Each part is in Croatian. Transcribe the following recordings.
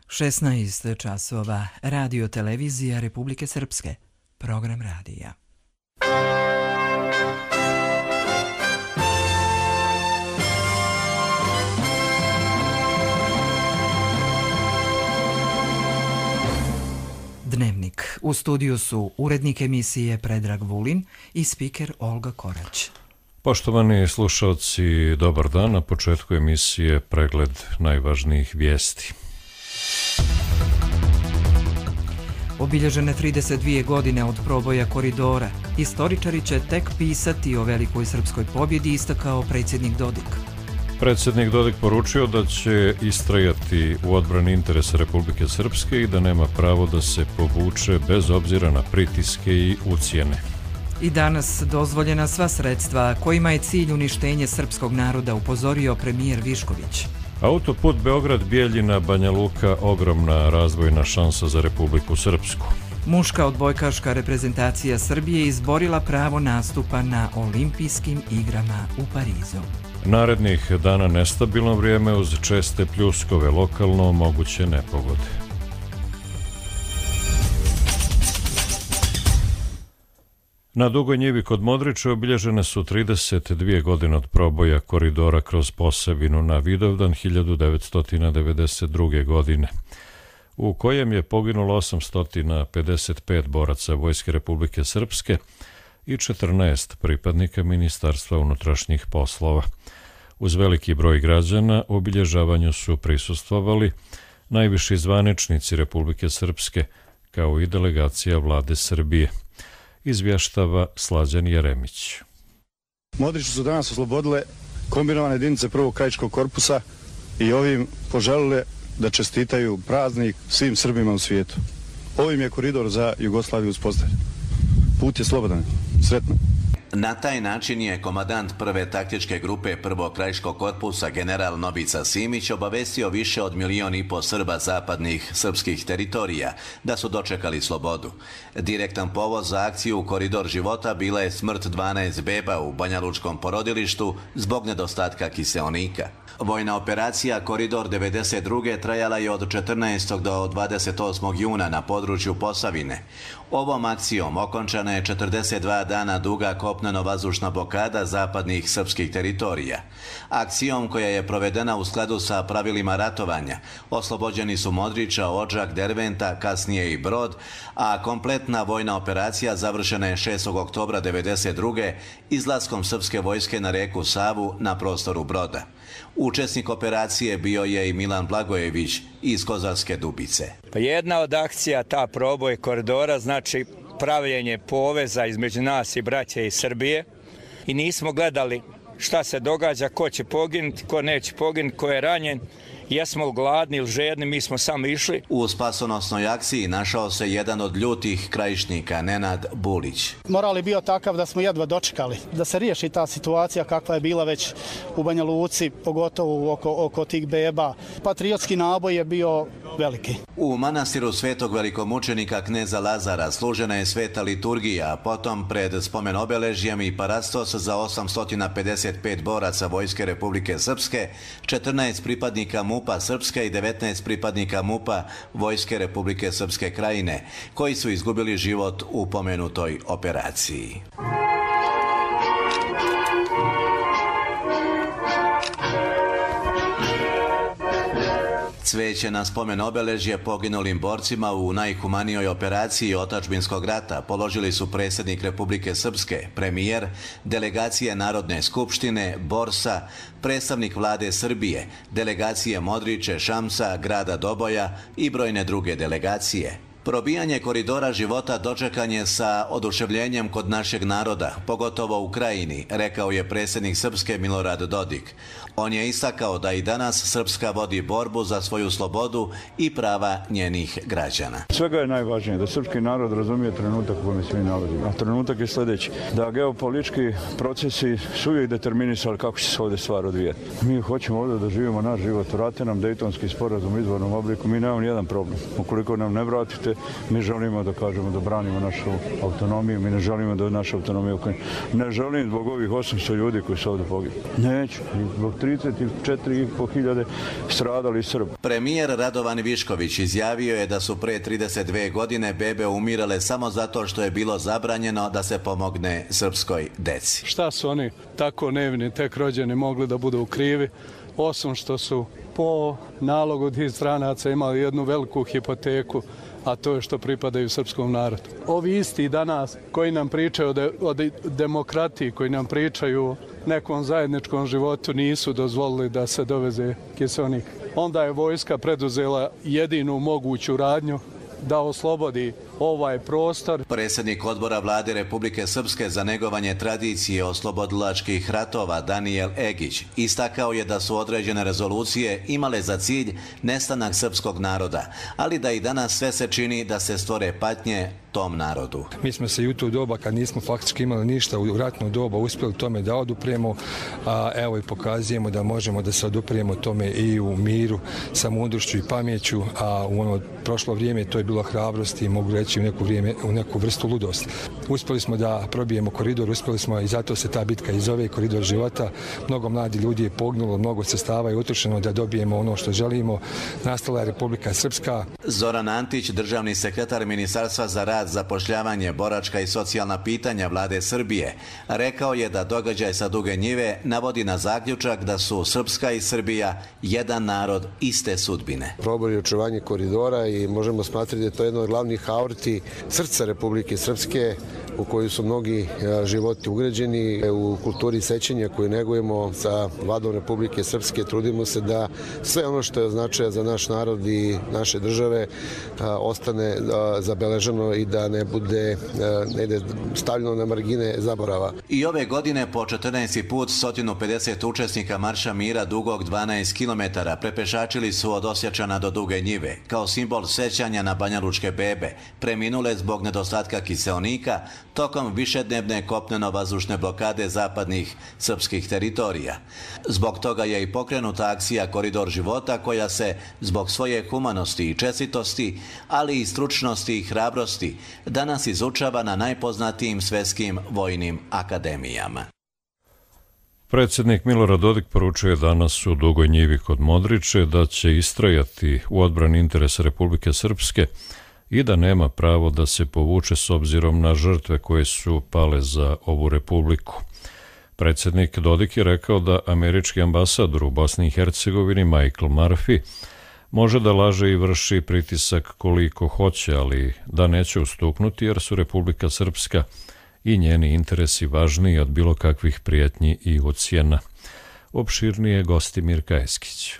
16 časova, Radio televizija Republike Srpske, program radija. Dnevnik. U studiju su urednik emisije Predrag Vulin i spiker Olga Korać. Poštovani slušalci, dobar dan. Na početku emisije pregled najvažnijih vijesti. Obilježene 32 godine od proboja koridora. Istoričari će tek pisati o velikoj srpskoj pobjedi, istakao predsjednik Dodik. Predsjednik Dodik poručio da će istrajati u odbrani interesa Republike Srpske i da nema pravo da se povuče bez obzira na pritiske i ucjene. I danas dozvoljena sva sredstva kojima je cilj uništenje srpskog naroda, upozorio premijer Višković. Autoput Beograd-Bijeljina-Banja Luka ogromna razvojna šansa za Republiku Srpsku. Muška odbojkaška reprezentacija Srbije izborila pravo nastupa na olimpijskim igrama u Parizu. Narednih dana nestabilno vrijeme uz česte pljuskove, lokalno moguće nepogode. Na Dugoj njivi kod Modrića obilježene su 32 godine od proboja koridora kroz Posavinu na Vidovdan 1992. godine, u kojem je poginulo 855 boraca Vojske Republike Srpske i 14 pripadnika Ministarstva unutrašnjih poslova. Uz veliki broj građana obilježavanju su prisustvovali najviši zvaničnici Republike Srpske, kao i delegacija vlade Srbije. Izvještava Slađan Jeremić. Modriću su danas oslobodile kombinovane jedinice prvog krajiškog korpusa i ovim poželile da čestitaju praznik svim Srbima u svijetu. Ovim je koridor za Jugoslaviju uspostavljen. Put je slobodan. Sretno. Na taj način je komandant prve taktičke grupe prvog krajiškog korpusa general Novica Simić obavestio više od 1,5 miliona Srba zapadnih srpskih teritorija da su dočekali slobodu. Direktan povod za akciju Koridor života bila je smrt 12 beba u banjalučkom porodilištu zbog nedostatka kiseonika. Vojna operacija Koridor 92. trajala je od 14. do 28. juna na području Posavine. Ovom akcijom okončana je 42 dana duga kopneno-vazdušna blokada zapadnih srpskih teritorija. Akcijom koja je provedena u skladu sa pravilima ratovanja, oslobođeni su Modrića, Odžak, Derventa, kasnije i Brod, a kompletna vojna operacija završena je 6. oktobra 1992. izlaskom srpske vojske na reku Savu na prostoru Broda. Učesnik operacije bio je i Milan Blagojević iz Kozarske Dubice. Jedna od akcija, ta proboj koridora, znači pravljenje poveza između nas i braće iz Srbije, i nismo gledali šta se događa, ko će poginuti, ko neće poginuti, ko je ranjen. Jesmo gladni ili žedni, mi smo samo išli. U spasonosnoj akciji našao se jedan od ljutih krajišnika, Nenad Bulić. Moral je bio takav da smo jedva dočekali da se riješi ta situacija kakva je bila već u Banja Luci, pogotovo oko tih beba. Patriotski naboj je bio veliki. U manastiru svetog velikomučenika kneza Lazara služena je sveta liturgija, a potom pred spomen obeležjem i parastos za 855 boraca Vojske Republike Srpske, 14 pripadnika MUP-a Srpske i 19 pripadnika MUP-a Vojske Republike Srpske Krajine, koji su izgubili život u pomenutoj operaciji. Cveće na spomen obeležje poginulim borcima u najhumanijoj operaciji otadžbinskog rata položili su predsjednik Republike Srpske, premijer, delegacije Narodne skupštine, Borsa, predstavnik vlade Srbije, delegacije Modriće, Šamsa, grada Doboja i brojne druge delegacije. Probijanje koridora života dočekan je sa oduševljenjem kod našeg naroda, pogotovo u Krajini, rekao je predsjednik Srpske Milorad Dodik. On je istakao da i danas Srpska vodi borbu za svoju slobodu i prava njenih građana. Svega je najvažnije da srpski narod razumije trenutak u kojem se mi nalazimo. A trenutak je sljedeći, da geopolitički procesi su uvijek determinisali kako će se ovdje stvar odvijeti. Mi hoćemo ovdje da živimo naš život, vrate nam Dejtonski sporazum u izvornom obliku, mi nemamo nijedan problem. Ukoliko nam ne vratite, mi želimo da kažemo da branimo našu autonomiju, mi ne želimo da naša autonomija Ukrajina. Ne želim zbog ovih 800 ljudi koji su ovdje pogibli. Neću, zbog 34.500 stradali Srbi. Premijer Radovan Višković izjavio je da su pre 32 godine bebe umirale samo zato što je bilo zabranjeno da se pomogne srpskoj deci. Šta su oni tako nevini, tek rođeni, mogli da budu krivi, osim što su po nalogu tih stranaca imali jednu veliku hipoteku, a to je što pripadaju srpskom narodu. Ovi isti danas koji nam pričaju o demokratiji, koji nam pričaju o nekom zajedničkom životu, nisu dozvolili da se doveze kiseonik. Onda je vojska preduzela jedinu moguću radnju da oslobodi ovaj prostor. Predsjednik odbora vlade Republike Srpske za negovanje tradicije oslobodilačkih ratova Danijel Egić istakao je da su određene rezolucije imale za cilj nestanak srpskog naroda, ali da i danas sve se čini da se stvore patnje tom narodu. Mi smo se i u to doba, kad nismo faktički imali ništa u ratno doba, uspjeli tome da odupremo, a evo i pokazujemo da možemo da se oduprijemo tome i u miru, sa mudrošću i pameću, a u ono prošlo vrijeme to je bilo hrabrost i mogu reći u neku vrstu ludosti. Uspjeli smo da probijemo koridor, uspjeli smo i zato se ta bitka i zove koridor života. Mnogo mladi ljudi je poginulo, mnogo sredstava je utrošeno da dobijemo ono što želimo. Nastala je Republika Srpska. Zoran Antić, državni sekretar Ministarstva za rad, zapošljavanje, boračka i socijalna pitanja vlade Srbije, rekao je da događaj sa Duge Njive navodi na zaključak da su Srpska i Srbija jedan narod iste sudbine. Probor je očuvanje koridora i možemo smatrati da je to jedno od glavnih aorti srca Republike Srpske, u koju su mnogi životi ugrađeni. U kulturi sećanja koju negujemo sa vladom Republike Srpske trudimo se da sve ono što je značaja za naš narod i naše države ostane zabeleženo i da ne bude stavljeno na margine zaborava. I ove godine po 14. put 150 učesnika Marša mira dugog 12 km prepešačili su od Osječana do Duge Njive kao simbol sećanja na banjalučke bebe preminule zbog nedostatka kiseonika tokom višednevne kopneno-vazdušne blokade zapadnih srpskih teritorija. Zbog toga je i pokrenuta akcija Koridor života koja se zbog svoje humanosti i čestitosti, ali i stručnosti i hrabrosti danas izučava na najpoznatijim svjetskim vojnim akademijama. Predsjednik Milorad Dodik poručio je danas u Dugoj Njivi kod Modriče da će istrajati u odbrani interesa Republike Srpske i da nema pravo da se povuče s obzirom na žrtve koje su pale za ovu republiku. Predsjednik Dodik je rekao da američki ambasador u Bosni i Hercegovini Michael Murphy može da laže i vrši pritisak koliko hoće, ali da neće ustuknuti jer su Republika Srpska i njeni interesi važniji od bilo kakvih prijetnji i ucjena. Opširnije gosti Mirka Eskić.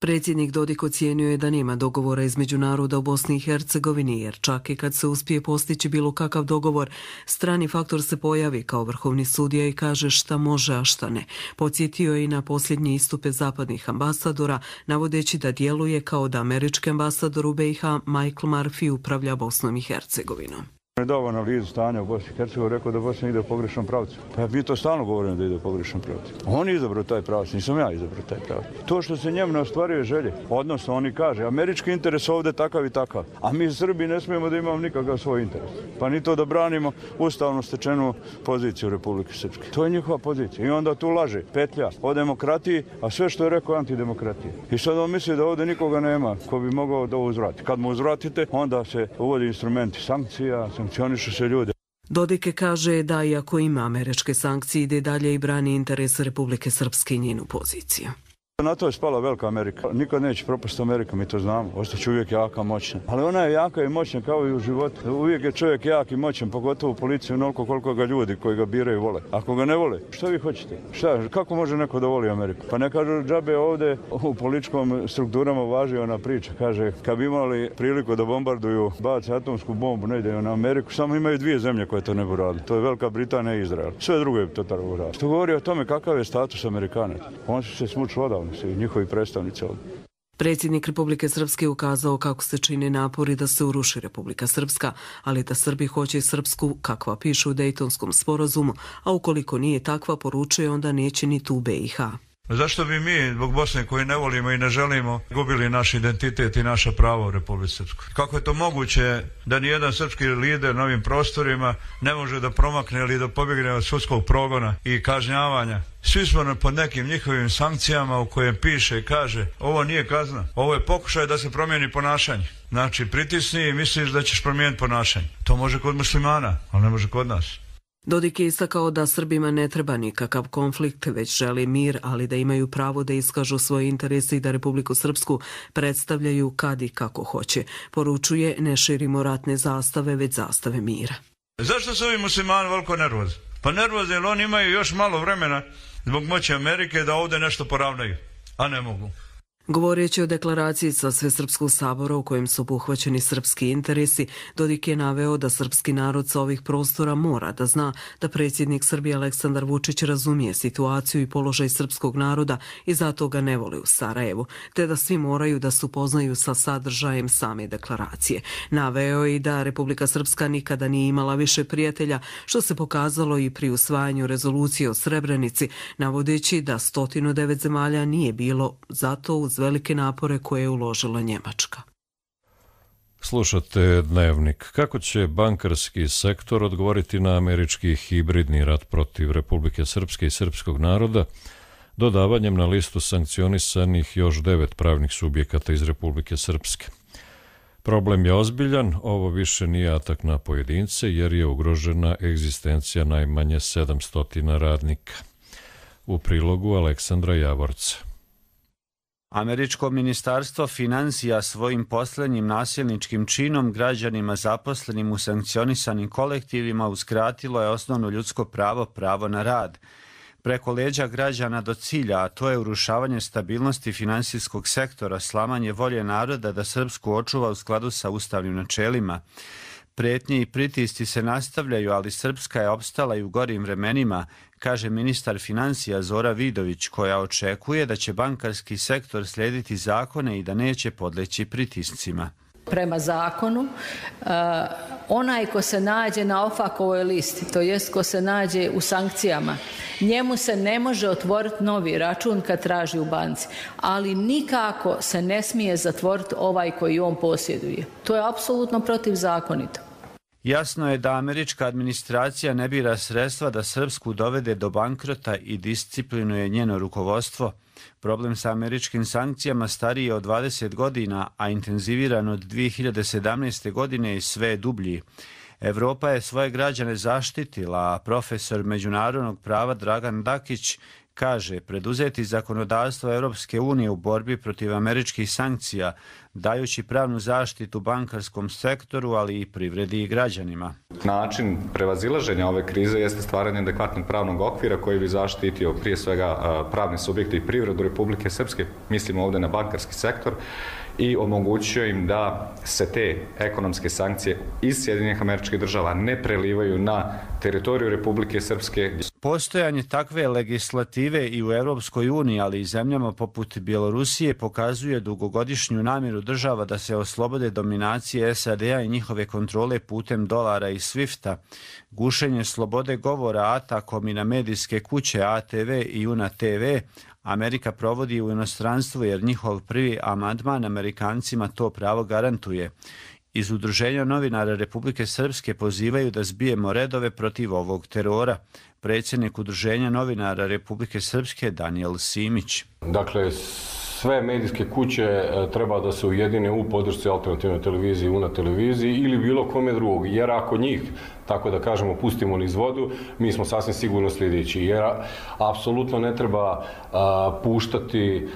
Predsjednik Dodik ocijenio je da nema dogovora između naroda u Bosni i Hercegovini, jer čak i kad se uspije postići bilo kakav dogovor, strani faktor se pojavi kao vrhovni sudija i kaže šta može, a šta ne. Podsjetio je i na posljednje istupe zapadnih ambasadora, navodeći da djeluje kao da američki ambasador u BiH Michael Murphy upravlja Bosnom i Hercegovinom. On je dao analizu stanja u Bosni i Hercegovini, rekao da Bosna ide u pogrešnom pravcu. Pa mi to stalno govorimo da ide u pogrešnom pravcu. On je izabrao taj pravac, nisam ja izabrao taj pravac. To što se njemu ne ostvaruje želje, odnosno oni kaže, američki interes ovdje takav i takav, a mi Srbi ne smijemo da imamo nikakav svoj interes. Pa ni to da branimo ustavno stečenu poziciju Republike Srpske. To je njihova pozicija. I onda tu laže, petlja o demokratiji, a sve što je rekao antidemokratije. I sad on misli da ovdje nikoga nema ko bi mogao da uzvrati. Kad mu uzvratite, onda se uvodi instrumenti sankcija, sankcionišu se ljude. Dodik kaže da iako ima američke sankcije ide dalje i brani interes Republike Srpske i njenu poziciju. Na to je spala velika Amerika. Nikad neće propasti Amerika, mi to znamo. Ostaće uvijek jaka, moćna. Ali ona je jaka i moćna kao i u životu. Uvijek je čovjek jak i moćan, pogotovo u policiji, onoliko koliko ga ljudi koji ga biraju vole. Ako ga ne vole, što vi hoćete? Kako može neko da voli Ameriku? Pa ne kažu džabe ovdje u političkom strukturama važi ona priča. Kaže, kad bi imali priliku da bombarduju, bace atomsku bombu, ne ide na Ameriku, samo imaju dvije zemlje koje to ne bi radili. To je Velika Britanija i Izrael. Sve druge bi to tako radili. Što govori o tome kakav je status Amerikanaca. On se smuču odavno. I njihovi predstavnici ovdje. Predsjednik Republike Srpske ukazao kako se čine napori da se uruši Republika Srpska, ali da Srbi hoće Srpsku kakva piše u Dejtonskom sporazumu, a ukoliko nije takva, poručuje, onda neće ni tu BiH. Zašto bi mi, zbog Bosne koju ne volimo i ne želimo, gubili naš identitet i naša prava u Republici Srpskoj? Kako je to moguće da nijedan srpski lider na ovim prostorima ne može da promakne ili da pobjegne od sudskog progona i kažnjavanja? Svi smo pod nekim njihovim sankcijama u kojem piše i kaže ovo nije kazna, ovo je pokušaj da se promijeni ponašanje. Znači pritisni i misliš da ćeš promijeniti ponašanje. To može kod muslimana, ali ne može kod nas. Dodik je istakao da Srbima ne treba nikakav konflikt, već želi mir, ali da imaju pravo da iskažu svoje interese i da Republiku Srpsku predstavljaju kad i kako hoće. Poručuje, ne širimo ratne zastave, već zastave mira. Zašto su ovi muslimani veliko nervozni? Pa nervozni jer oni imaju još malo vremena zbog moći Amerike da ovdje nešto poravnaju, a ne mogu. Govoreći o deklaraciji sa Svesrpskog sabora u kojem su obuhvaćeni srpski interesi, Dodik je naveo da srpski narod sa ovih prostora mora da zna da predsjednik Srbije Aleksandar Vučić razumije situaciju i položaj srpskog naroda i zato ga ne voli u Sarajevu, te da svi moraju da se upoznaju sa sadržajem same deklaracije. Naveo je i da Republika Srpska nikada nije imala više prijatelja, što se pokazalo i pri usvajanju rezolucije o Srebrenici, navodeći da 109 zemalja nije bilo zato uz velike napore koje je uložila Njemačka. Slušate Dnevnik. Kako će bankarski sektor odgovoriti na američki hibridni rat protiv Republike Srpske i srpskog naroda dodavanjem na listu sankcionisanih još 9 pravnih subjekata iz Republike Srpske? Problem je ozbiljan, ovo više nije atak na pojedince jer je ugrožena egzistencija najmanje 700 radnika. U prilogu Aleksandra Javorca. Američko ministarstvo financija svojim posljednjim nasilničkim činom građanima zaposlenim u sankcionisanim kolektivima uskratilo je osnovno ljudsko pravo na rad. Preko leđa građana do cilja, a to je urušavanje stabilnosti finansijskog sektora, slamanje volje naroda da Srpsku očuva u skladu sa ustavnim načelima. Pretnje i pritisci se nastavljaju, ali Srpska je opstala i u gorim vremenima, kaže ministar financija Zora Vidović, koja očekuje da će bankarski sektor slijediti zakone i da neće podleći pritiscima. Prema zakonu, onaj ko se nađe na OFAC-ovoj listi, to jest ko se nađe u sankcijama, njemu se ne može otvoriti novi račun kad traži u banci, ali nikako se ne smije zatvoriti ovaj koji on posjeduje. To je apsolutno protivzakonito. Jasno je da američka administracija ne bira sredstva da Srpsku dovede do bankrota i disciplinuje njeno rukovodstvo. Problem sa američkim sankcijama stariji je od 20 godina, a intenziviran od 2017. godine i sve je dublji. Evropa je svoje građane zaštitila, a profesor međunarodnog prava Dragan Dakić kaže preduzeti zakonodavstvo Europske unije u borbi protiv američkih sankcija, dajući pravnu zaštitu bankarskom sektoru, ali i privredi i građanima. Način prevazilaženja ove krize jeste stvaranje adekvatnog pravnog okvira koji bi zaštitio prije svega pravne subjekte i privredu Republike Srpske, mislimo ovdje na bankarski sektor, i omogućio im da se te ekonomske sankcije iz Sjedinjenih Američkih Država ne prelivaju na teritoriju Republike Srpske. Postojanje takve legislative i u Europskoj uniji, ali i zemljama poput Bjelorusije, pokazuje dugogodišnju namjeru država da se oslobode dominacije SAD-a i njihove kontrole putem dolara i Swifta. Gušenje slobode govora atakom i na medijske kuće ATV i UNA TV Amerika provodi u inostranstvu jer njihov prvi amandman Amerikancima to pravo garantuje. Iz Udruženja novinara Republike Srpske pozivaju da zbijemo redove protiv ovog terora. Predsjednik Udruženja novinara Republike Srpske Danijel Simić. Dakle, sve medijske kuće treba da se ujedine u podršci alternativnoj televiziji, UNA televiziji ili bilo kome drugog, jer ako njih, tako da kažemo, pustimo niz vodu, mi smo sasvim sigurno sljedeći, jer apsolutno ne treba puštati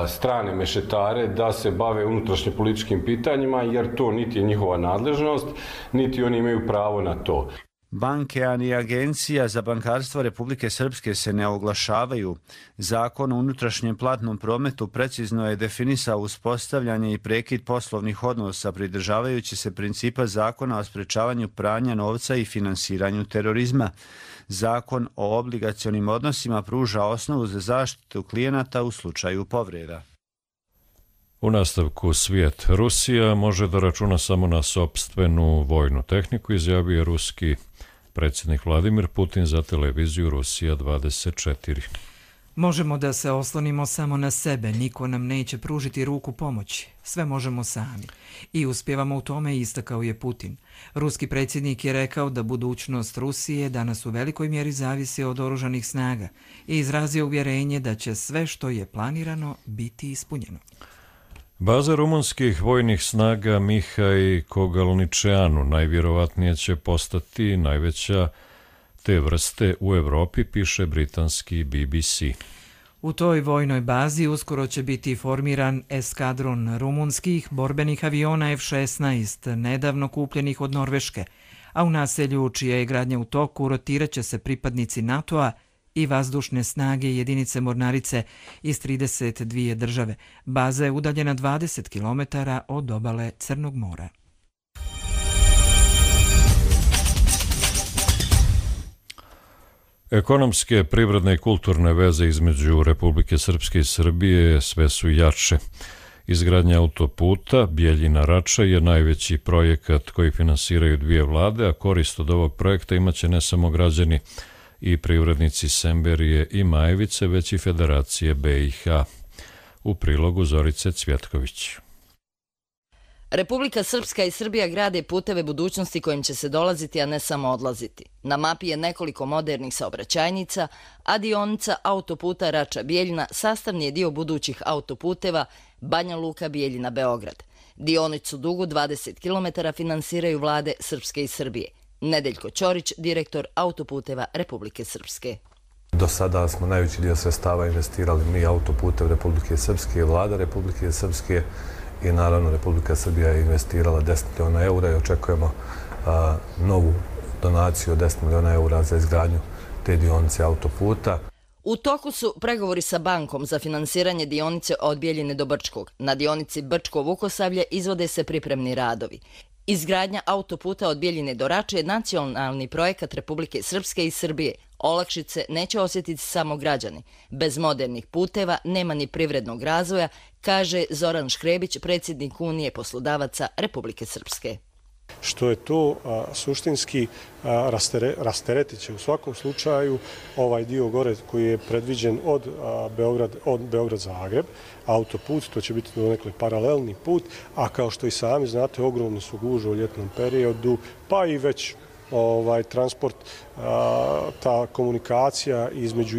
strane mešetare da se bave unutrašnje političkim pitanjima, jer to niti je njihova nadležnost, niti oni imaju pravo na to. Banke, ani Agencija za bankarstvo Republike Srpske se ne oglašavaju. Zakon o unutrašnjem platnom prometu precizno je definisao uspostavljanje i prekid poslovnih odnosa pridržavajući se principa zakona o sprečavanju pranja novca i finansiranju terorizma. Zakon o obligacionim odnosima pruža osnovu za zaštitu klijenata u slučaju povreda. U nastavku svijet. Rusija može da računa samo na sopstvenu vojnu tehniku, izjavio je ruski predsjednik Vladimir Putin za televiziju Rusija 24. Možemo da se oslonimo samo na sebe, niko nam neće pružiti ruku pomoći. Sve možemo sami. I uspjevamo u tome, istakao je Putin. Ruski predsjednik je rekao da budućnost Rusije danas u velikoj mjeri zavisi od oružanih snaga i izrazio uvjerenje da će sve što je planirano biti ispunjeno. Baza rumunskih vojnih snaga Mihaj Kogalničeanu najvjerovatnije će postati najveća te vrste u Evropi, piše britanski BBC. U toj vojnoj bazi uskoro će biti formiran eskadron rumunskih borbenih aviona F-16, nedavno kupljenih od Norveške, a u naselju čija je gradnja u toku rotirat će se pripadnici NATO-a i vazdušne snage jedinice mornarice iz 32 države. Baza je udaljena 20 km od obale Crnog mora. Ekonomske, privredne i kulturne veze između Republike Srpske i Srbije sve su jače. Izgradnja autoputa Bijeljina-Rača je najveći projekat koji finansiraju dvije vlade, a korist od ovog projekta imaće ne samo građani i privrednici Semberije i Majevice, već i Federacije BiH. U prilogu Zorice Cvjetković. Republika Srpska i Srbija grade puteve budućnosti kojim će se dolaziti, a ne samo odlaziti. Na mapi je nekoliko modernih saobraćajnica, a dionica autoputa Rača-Bijeljina sastavni je dio budućih autoputeva Banja Luka-Bijeljina-Beograd. Dionicu dugu 20 km finansiraju vlade Srpske i Srbije. Nedeljko Ćorić, direktor autoputeva Republike Srpske. Do sada smo najveći dio sredstava investirali mi autoputev Republike Srpske i vlada Republike Srpske i naravno Republika Srbija je investirala 10 miliona eura i očekujemo novu donaciju od 10 miliona eura za izgradnju te dionice autoputa. U toku su pregovori sa bankom za finansiranje dionice od Bijeljine do Brčkog. Na dionici Brčko-Vukosavlje izvode se pripremni radovi. Izgradnja autoputa od Bijeljine do Rače je nacionalni projekat Republike Srpske i Srbije. Olakšice neće osjetiti samo građani. Bez modernih puteva nema ni privrednog razvoja, kaže Zoran Škrebić, predsjednik Unije poslodavaca Republike Srpske. Što je to suštinski rasteretit će u svakom slučaju ovaj dio gore koji je predviđen od Beograd-Zagreb, autoput, to će biti donekle paralelni put, a kao što i sami znate, ogromne su gužve u ljetnom periodu, pa i već transport, ta komunikacija između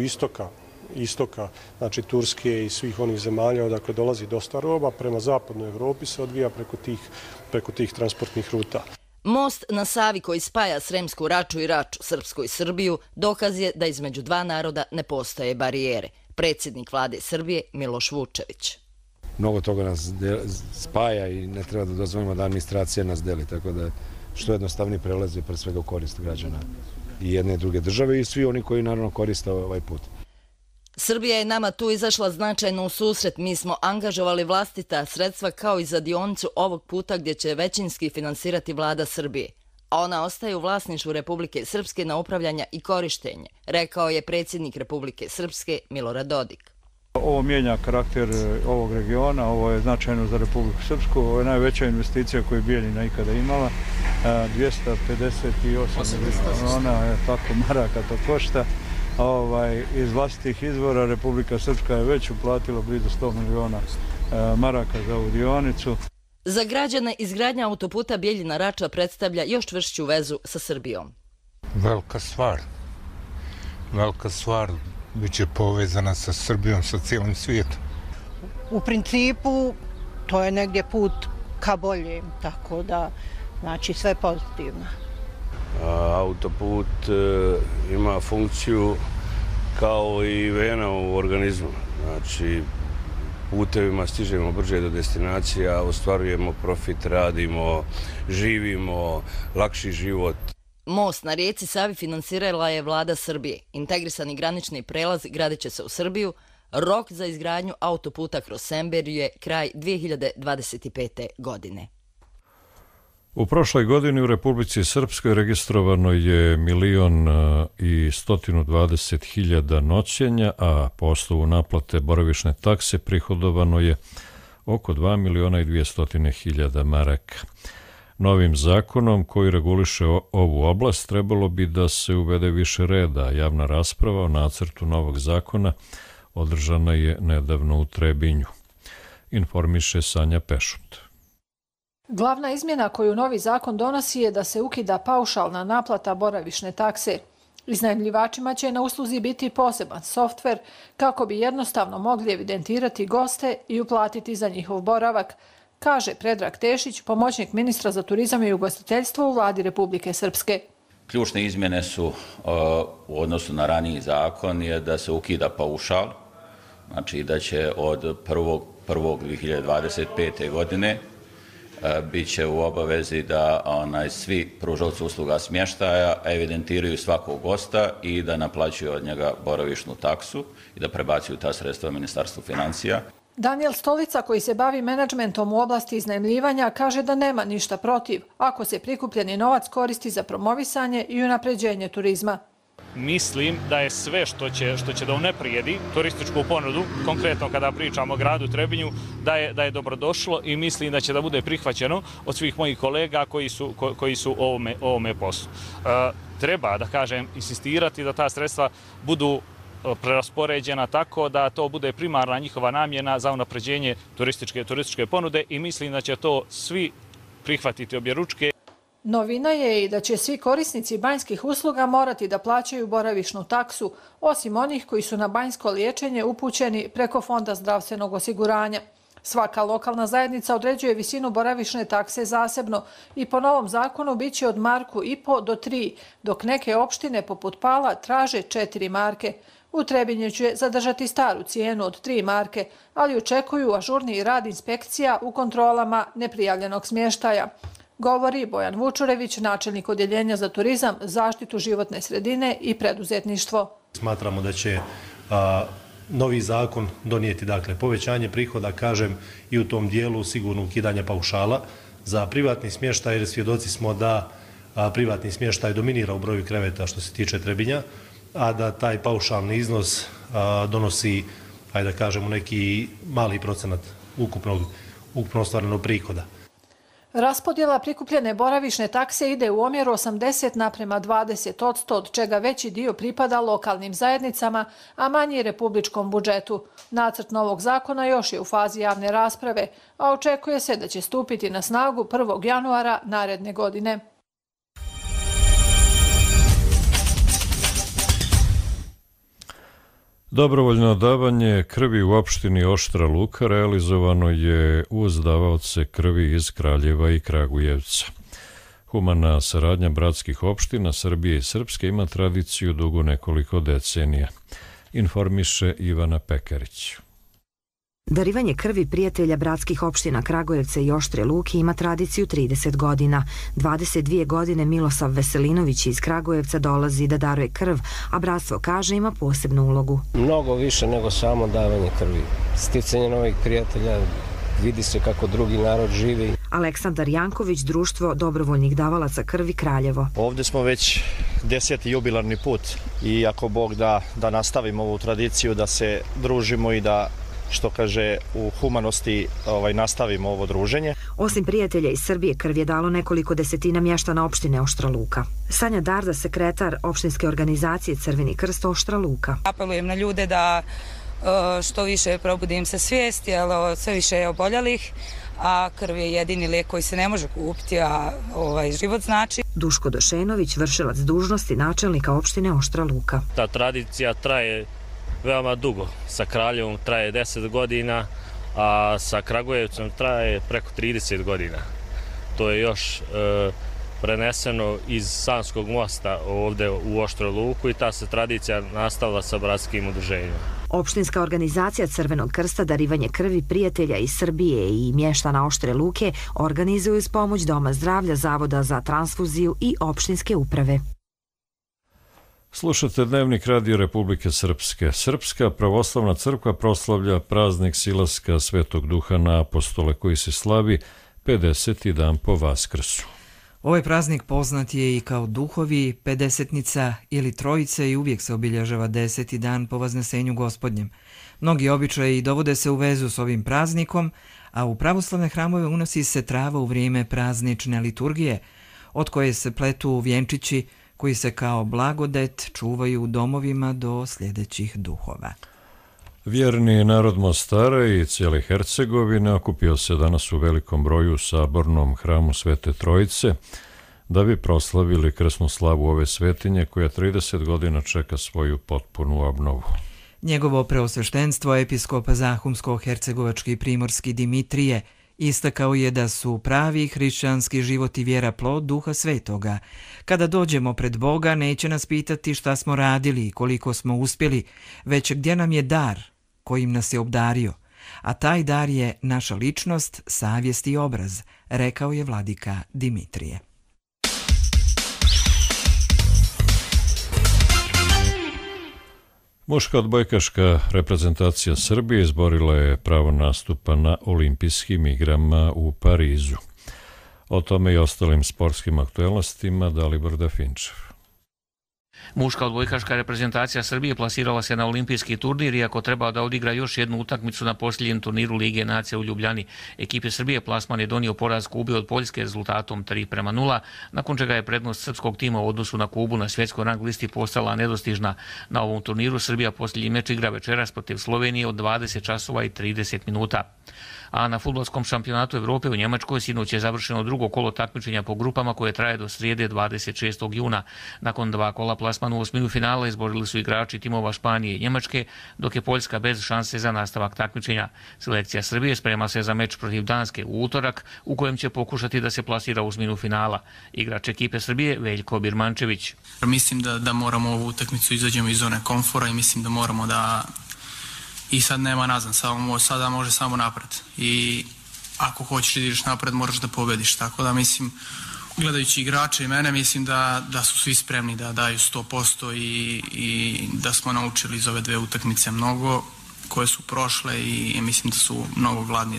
istoka, znači Turske i svih onih zemalja odakle dolazi dosta roba, prema zapadnoj Evropi se odvija preko tih transportnih ruta. Most na Savi koji spaja Sremsku Raču i Raču, Srpsku i Srbiju, dokaz je da između dva naroda ne postoje barijere. Predsjednik vlade Srbije Miloš Vučević. Mnogo toga nas spaja i ne treba da dozvolimo da administracija nas deli, tako da što jednostavniji prelaz je pre svega u korist građana i jedne i druge države i svi oni koji naravno koriste ovaj put. Srbija je nama tu izašla značajno u susret. Mi smo angažovali vlastita sredstva kao i za dionicu ovog puta gdje će većinski finansirati vlada Srbije. A ona ostaje u vlasništvu Republike Srpske na upravljanje i korištenje, rekao je predsjednik Republike Srpske Milorad Dodik. Ovo mijenja karakter ovog regiona, ovo je značajno za Republiku Srpsku, ovo je najveća investicija koju je Bijeljina ikada imala, 258 miliona, tako maraka to košta. Iz vlastitih izvora Republika Srpska je već uplatila blizu 100 miliona maraka za ovu dionicu. Za građane izgradnja autoputa Bijeljina-Rača predstavlja još čvršću vezu sa Srbijom. Velika stvar, biće povezana sa Srbijom, sa cijelim svijetom. U principu to je negdje put ka boljem, tako da znači sve pozitivno. Autoput ima funkciju kao i vena u organizmu. Znači, putevima stižemo brže do destinacija, ostvarujemo profit, radimo, živimo, lakši život. Most na rijeci Savi finansirala je vlada Srbije. Integrisani granični prelaz gradit će se u Srbiju. Rok za izgradnju autoputa kroz Semberiju je kraj 2025. godine. U prošloj godini u Republici Srpskoj registrovano je 1.120.000 noćenja, a po osnovu naplate boravišne takse prihodovano je oko 2.200.000 maraka. Novim zakonom koji reguliše ovu oblast trebalo bi da se uvede više reda. Javna rasprava o nacrtu novog zakona održana je nedavno u Trebinju. Informiše Sanja Pešut. Glavna izmjena koju novi zakon donosi je da se ukida paušalna naplata boravišne takse. Iznajmljivačima će na usluzi biti poseban softver kako bi jednostavno mogli evidentirati goste i uplatiti za njihov boravak, kaže Predrag Tešić, pomoćnik ministra za turizam i ugostiteljstvo u Vladi Republike Srpske. Ključne izmjene su u odnosu na raniji zakon je da se ukida paušal, znači da će od 1.1.2025. godine bit će u obavezi da svi pružaoci usluga smještaja evidentiraju svakog gosta i da naplaćuju od njega boravišnu taksu i da prebacuju ta sredstva Ministarstvu financija. Daniel Stolica, koji se bavi menadžmentom u oblasti iznajmljivanja, kaže da nema ništa protiv ako se prikupljeni novac koristi za promovisanje i unapređenje turizma. Mislim da je sve što će da unaprijedi turističku ponudu, konkretno kada pričamo o gradu Trebinju, da je dobrodošlo i mislim da će da bude prihvaćeno od svih mojih kolega koji su ovome poslu. Treba, da kažem, insistirati da ta sredstva budu preraspoređena tako da to bude primarna njihova namjena za unapređenje turističke ponude i mislim da će to svi prihvatiti objeručke. Novina je i da će svi korisnici banjskih usluga morati da plaćaju boravišnu taksu, osim onih koji su na banjsko liječenje upućeni preko Fonda zdravstvenog osiguranja. Svaka lokalna zajednica određuje visinu boravišne takse zasebno i po novom zakonu biće od 1,5 do 3, dok neke opštine poput Pala traže 4 marke. U Trebinju će zadržati staru cijenu od 3 marke, ali očekuju ažurniji rad inspekcija u kontrolama neprijavljenog smještaja. Govori Bojan Vučurević, načelnik Odjeljenja za turizam, zaštitu životne sredine i preduzetništvo. Smatramo da će novi zakon donijeti povećanje prihoda, kažem, i u tom dijelu sigurno ukidanje paušala za privatni smještaj, jer svjedoci smo da privatni smještaj dominira u broju kreveta što se tiče Trebinja, a da taj paušalni iznos donosi, ajde da kažemo, neki mali procenat ukupno ostvarenog prihoda. Raspodjela prikupljene boravišne takse ide u omjeru 80:20%, od čega veći dio pripada lokalnim zajednicama, a manji republičkom budžetu. Nacrt novog zakona još je u fazi javne rasprave, a očekuje se da će stupiti na snagu 1. januara naredne godine. Dobrovoljno davanje krvi u opštini Oštra Luka realizovano je uz davaoce krvi iz Kraljeva i Kragujevca. Humana saradnja bratskih opština Srbije i Srpske ima tradiciju dugo nekoliko decenija, informiše Ivana Pekarić. Darivanje krvi prijatelja bratskih opština Kragujevca i Oštre Luke ima tradiciju 30 godina. 22 godine Milosav Veselinović iz Kragujevca dolazi da daruje krv, a bratstvo kaže ima posebnu ulogu. Mnogo više nego samo davanje krvi. Sticanje novih prijatelja, vidi se kako drugi narod živi. Aleksandar Janković, društvo dobrovoljnih davalaca krvi Kraljevo. Ovdje smo već 10. jubilarni put i ako Bog da nastavimo ovu tradiciju, da se družimo i da, što kaže, u humanosti nastavimo ovo druženje. Osim prijatelja iz Srbije, krv je dalo nekoliko desetina mještana opštine Oštra Luka. Sanja Darda, sekretar opštinske organizacije Crveni krst Oštra Luka. Apelujem na ljude da što više probudi im se svijest, jer sve više je oboljelih, a krv je jedini lijek koji se ne može kupiti, a život znači. Duško Došenović, vršilac dužnosti načelnika opštine Oštra Luka. Ta tradicija traje veoma dugo. Sa Kraljevom traje 10 godina, a sa Kragujevcem traje preko 30 godina. To je još preneseno iz Sanskog mosta ovdje u Oštru Luku i ta se tradicija nastavila sa bratskim udruženjima. Opštinska organizacija Crvenog krsta darivanje krvi prijatelja iz Srbije i mještana Oštre Luke organizuju s pomoć Doma zdravlja, Zavoda za transfuziju i opštinske uprave. Slušate Dnevnik Radio Republike Srpske. Srpska pravoslavna crkva proslavlja praznik silaska Svetog Duha na apostole koji se slavi 50. dan po Vaskrsu. Ovaj praznik poznat je i kao duhovi, pedesetnica ili trojice i uvijek se obilježava 10. dan po Vaznesenju Gospodnjem. Mnogi običaji dovode se u vezu s ovim praznikom, a u pravoslavne hramove unosi se trava u vrijeme praznične liturgije, od koje se pletu vjenčići koji se kao blagodet čuvaju u domovima do sljedećih duhova. Vjerni narod Mostara i cijele Hercegovine okupio se danas u velikom broju u sabornom hramu Svete Trojice da bi proslavili krsnu slavu ove svetinje koja 30 godina čeka svoju potpunu obnovu. Njegovo preosveštenstvo, episkop Zahumsko-hercegovački primorski Dimitrije, istakao je da su pravi hrišćanski život i vjera plod Duha Svetoga. Kada dođemo pred Boga, neće nas pitati šta smo radili i koliko smo uspjeli, već gdje nam je dar kojim nas je obdario. A taj dar je naša ličnost, savjest i obraz, rekao je vladika Dimitrije. Muška odbojkaška reprezentacija Srbije izborila je pravo nastupa na olimpijskim igrama u Parizu. O tome i ostalim sportskim aktuelnostima Dalibor Dafinčev. Muška odbojkaška reprezentacija Srbije plasirala se na olimpijski turnir, iako treba da odigra još jednu utakmicu na posljednjem turniru Lige nacija u Ljubljani. Ekipe Srbije plasman je donio poraz Kubi od Poljske rezultatom 3:0, nakon čega je prednost srpskog tima u odnosu na Kubu na svjetskoj rang listi postala nedostižna. Na ovom turniru Srbija posljednji meč igra večeras protiv Slovenije od 20 časova i 30 minuta. A na fudbalskom šampionatu Evrope u Njemačkoj sinoć je završeno drugo kolo takmičenja po grupama koje traje do srijede 26. juna. Nakon 2 kola plasman u osminu finala izborili su igrači timova Španije i Njemačke, dok je Poljska bez šanse za nastavak takmičenja. Selekcija Srbije sprema se za meč protiv Danske u utorak, u kojem će pokušati da se plasira u osminu finala. Igrač ekipe Srbije Veljko Birmančević. Mislim da moramo ovu utakmicu izađemo iz zone komfora i mislim da moramo da i sad nema nazad, sada može samo napred i ako hoćeš da ideš napred moraš da pobediš, tako da mislim, gledajući igrače i mene, mislim da su svi spremni da daju 100% i da smo naučili iz ove dve utakmice mnogo koje su prošle i mislim da su mnogo gladni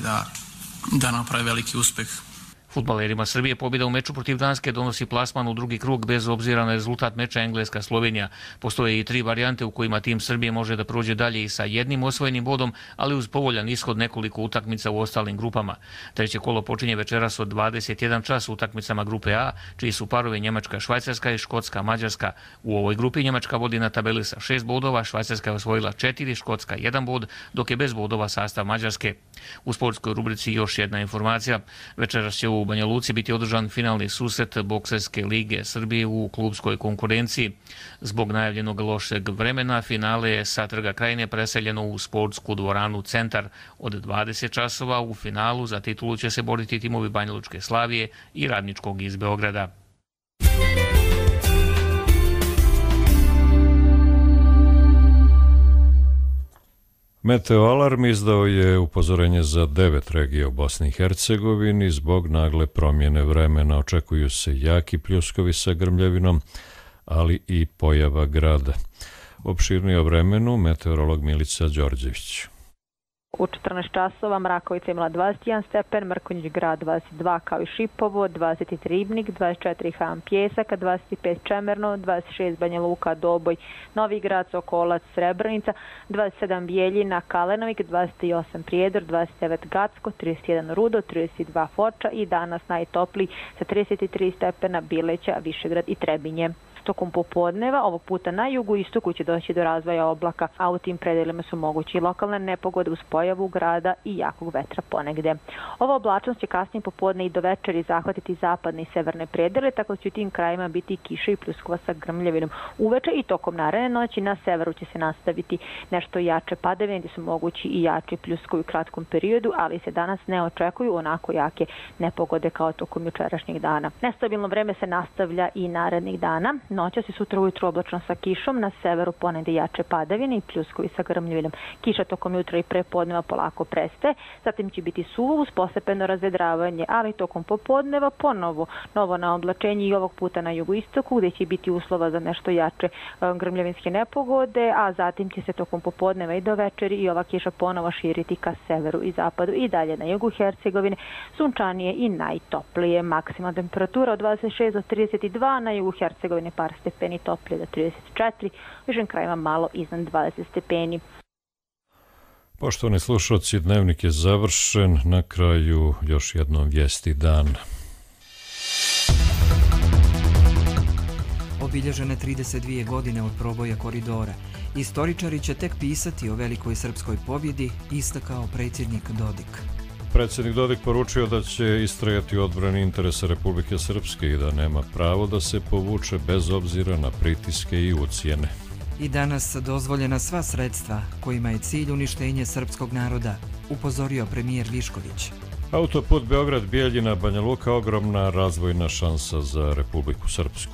da naprave veliki uspeh. Fudbalerima Srbije pobjeda u meču protiv Danske donosi plasman u drugi krug bez obzira na rezultat meča Engleska-Slovenija. Postoje i 3 varijante u kojima tim Srbije može da prođe dalje i sa jednim osvojenim bodom, ali uz povoljan ishod nekoliko utakmica u ostalim grupama. Treće kolo počinje večeras od 21 čas utakmicama grupe A, čiji su parovi Njemačka, Švajcarska i Škotska, Mađarska. U ovoj grupi Njemačka vodi na tabeli sa 6 bodova, Švajcarska je osvojila 4, Škotska 1 bod, dok je bez bodova sastav Mađarske. U sportskoj rubrici još jedna informacija. Večeras će u Banja Luci biti održan finalni susret Bokserske lige Srbije u klubskoj konkurenciji. Zbog najavljenog lošeg vremena finale je sa Trga Krajine preseljeno u sportsku dvoranu Centar. Od 20 časova u finalu za titulu će se boriti timovi Banja Lučke Slavije i Radničkog iz Beograda. Meteoalarm izdao je upozorenje za 9 regija u Bosni i Hercegovini. Zbog nagle promjene vremena očekuju se jaki pljuskovi sa grmljavinom, ali i pojava grada. Opširnije o vremenu meteorolog Milica Đorđević. U 14 časova Mrakovica imala 21 stepen, Mrkonjić grad 22 kao i Šipovo, 23 Ribnik, 24 Han Pjesak, 25 Čemerno, 26 Banja Luka, Doboj, Novi grad, Sokolac, Srebrenica, 27 Bijeljina, Kalenovik, 28 Prijedor, 29 Gacko, 31 Rudo, 32 Foča i danas najtopliji sa 33 stepena Bileća, Višegrad i Trebinje. Tokom popodneva, ovog puta na jugu istoku će doći do razvoja oblaka, a u tim predelima su mogući i lokalne nepogode uz pojavu grada i jakog vetra ponegde. Ova oblačnost će kasnije popodne i do večeri zahvatiti zapadne i severne predele, tako da će u tim krajima biti kiša i pljuskova sa grmljavinom. Uveče i tokom naredne noći na severu će se nastaviti nešto jače padavine, gdje su mogući i jači pljuskovi u kratkom periodu, ali se danas ne očekuju onako jake nepogode kao tokom jučerašnjeg dana. Nestabilno vreme se nastavlja i narednih dana. Noćas i sutra ujutru oblačno sa kišom, na severu ponegde jače padavine i pljuskovi sa grmljavinom. Kiša tokom jutra i prepodneva polako prestaje, zatim će biti suvo uz postepeno razvedravanje, ali tokom popodneva ponovo novo naoblačenje i ovog puta na jugoistoku, gdje će biti uslova za nešto jače grmljavinske nepogode, a zatim će se tokom popodneva i do večeri i ova kiša ponovo širiti ka severu i zapadu i dalje na jugu Hercegovine, sunčanije i najtoplije. Maksimalna temperatura od 26 do 32, na jugu Hercegovine par stepeni toplije do 34, u višim krajima malo iznad 20 stepeni. Poštovani slušalci, dnevnik je završen. Na kraju još jednom vijesti dana. Obilježene 32 godine od proboja koridora. Istoričari će tek pisati o velikoj srpskoj pobjedi, istakao predsjednik Dodik. Predsjednik Dodik poručio da će istrajati u odbrani interesa Republike Srpske i da nema pravo da se povuče bez obzira na pritiske i ucjene. I danas dozvoljena sva sredstva kojima je cilj uništenje srpskog naroda, upozorio premijer Višković. Autoput Beograd-Bijeljina Banja Luka ogromna razvojna šansa za Republiku Srpsku.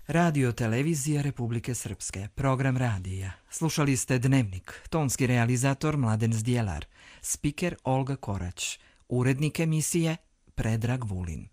Radio televizija Republike Srpske, program radija. Slušali ste Dnevnik, tonski realizator Mladen Zdjelar, spiker Olga Korać, urednik emisije Predrag Vulin.